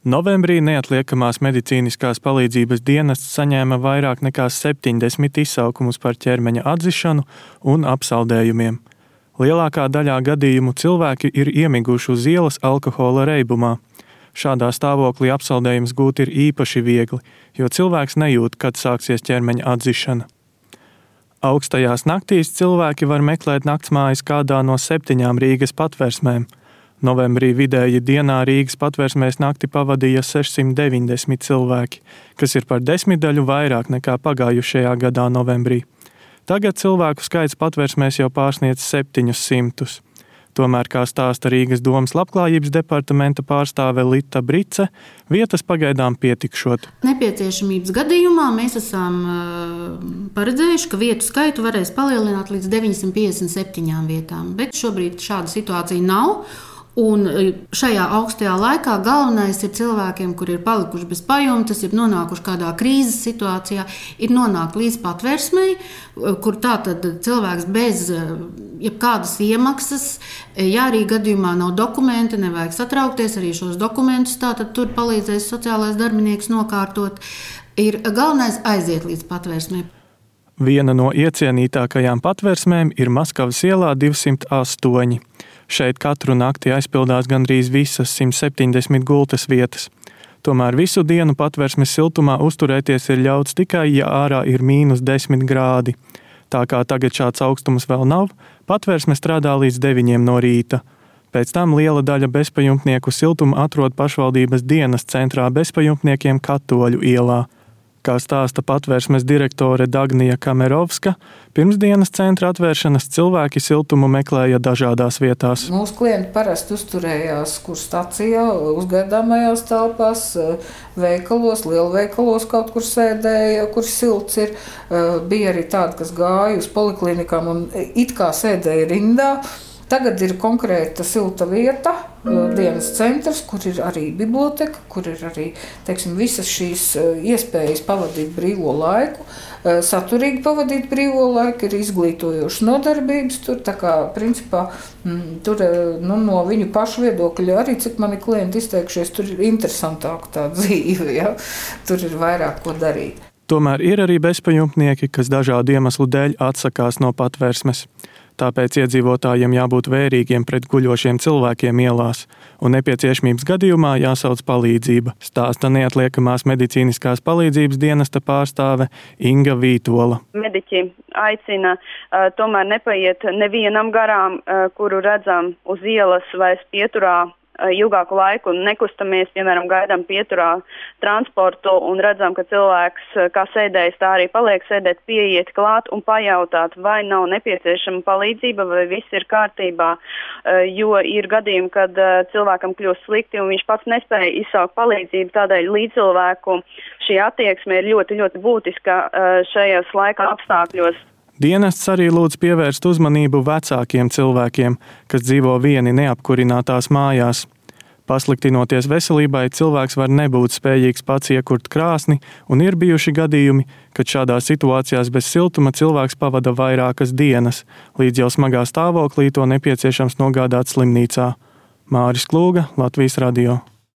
Novembrī neatliekamās medicīniskās palīdzības dienests saņēma vairāk nekā 70 izsaukumus par ķermeņa atzišanu un apsaldējumiem. Lielākā daļā gadījumu cilvēki ir iemiguši uz ielas alkohola reibumā. Šādā stāvoklī apsaldējums gūt ir īpaši viegli, jo cilvēks nejūt, kad sāksies ķermeņa atzišana. Augstajās naktīs cilvēki var meklēt naktsmājas kādā no 7 Rīgas patversmēm. Novembrī vidēji dienā Rīgas patversmēs nakti pavadīja 690 cilvēki, kas ir par 10 daļu vairāk nekā pagājušajā gadā novembrī. Tagad cilvēku skaits patversmēs jau pārsniedz 700. Tomēr, kā stāsta Rīgas domas labklājības departamenta pārstāve Lita Brice, vietas pagaidām pietikšot. Nepieciešamības gadījumā mēs esam paredzējuši, ka vietu skaitu varēs palielināt līdz 957 vietām, bet šobrīd šāda situācija nav. Un šajā augstajā laikā galvenais ir cilvēkiem, kuri ir palikuši bez pajumtes, ir nonākuši kādā krīzes situācijā, ir nonākt līdz patversmei, kur tātad cilvēks bez jebkādas iemaksas, ja arī gadījumā nav dokumenti, nevajag satraukties, arī šos dokumentus tātad tur palīdzēs sociālais darbinieks nokārtot, ir galvenais aiziet līdz patversmei. Viena no iecienītākajām patversmēm ir Maskavas ielā 208. Šeit katru nakti aizpildās gandrīz visas 170 gultas vietas. Tomēr visu dienu patversmes siltumā uzturēties ir ļauts tikai, ja ārā ir -10 grādi. Tā kā tagad šāds augstums vēl nav, patversme strādā līdz 9 no rīta. Pēc tam liela daļa bezpajumtnieku siltumu atrod pašvaldības dienas centrā bezpajumtniekiem Katoļu ielā. Kā stāsta patversmes direktore Dagnija Kamerovska, pirms dienas centra atvēršanas cilvēki siltumu meklēja dažādās vietās. Mūsu klienti parasti uzturējās kur stacijā, uzgaidāmajās telpās, veikalos, lielveikalos kaut kur sēdēja, kur silts ir. Bija arī tādi, kas gāja uz poliklinikām un it kā sēdēja rindā. Tagad ir konkrēta silta vieta, dienas centrs, kur ir arī biblioteka, kur ir arī visas šīs iespējas pavadīt brīvo laiku, saturīgi pavadīt brīvo laiku, ir izglītojošas nodarbības. Tur, tā kā, principā, tur no viņu pašu viedokļa arī, cik mani klienti izteikušies, tur ir interesantāka tā dzīve, ja? Tur ir vairāk ko darīt. Tomēr ir arī bezpajumtnieki, kas dažādu iemeslu dēļ atsakās no patversmes. Tāpēc iedzīvotājiem jābūt vērīgiem pret guļošiem cilvēkiem ielās, un nepieciešamības gadījumā jāsauc palīdzība, stāsta neatliekamās medicīniskās palīdzības dienesta pārstāve Inga Vītola. Mediķi aicina tomēr nepaiet nevienam garām, kuru redzam uz ielas vai pieturā ilgāku laiku un nekustamies, piemēram, gaidām pieturā transportu un redzam, ka cilvēks, kā sēdējis, tā arī paliek sēdēt, pieiet klāt un pajautāt, vai nav nepieciešama palīdzība, vai viss ir kārtībā, jo ir gadījumi, kad cilvēkam kļūst slikti un viņš pats nespēja izsaukt palīdzību, tādēļ līdzcilvēku šī attieksme ir ļoti, ļoti būtiska šajos laika apstākļos. Dienests arī lūdz pievērst uzmanību vecākiem cilvēkiem, kas dzīvo vieni neapkurinātās mājās. Pasliktinoties veselībai, cilvēks var nebūt spējīgs pats iekurt krāsni, un ir bijuši gadījumi, kad šādās situācijās bez siltuma cilvēks pavada vairākas dienas, līdz jau smagā stāvoklī to nepieciešams nogādāt slimnīcā. Māris Klūga, Latvijas radio.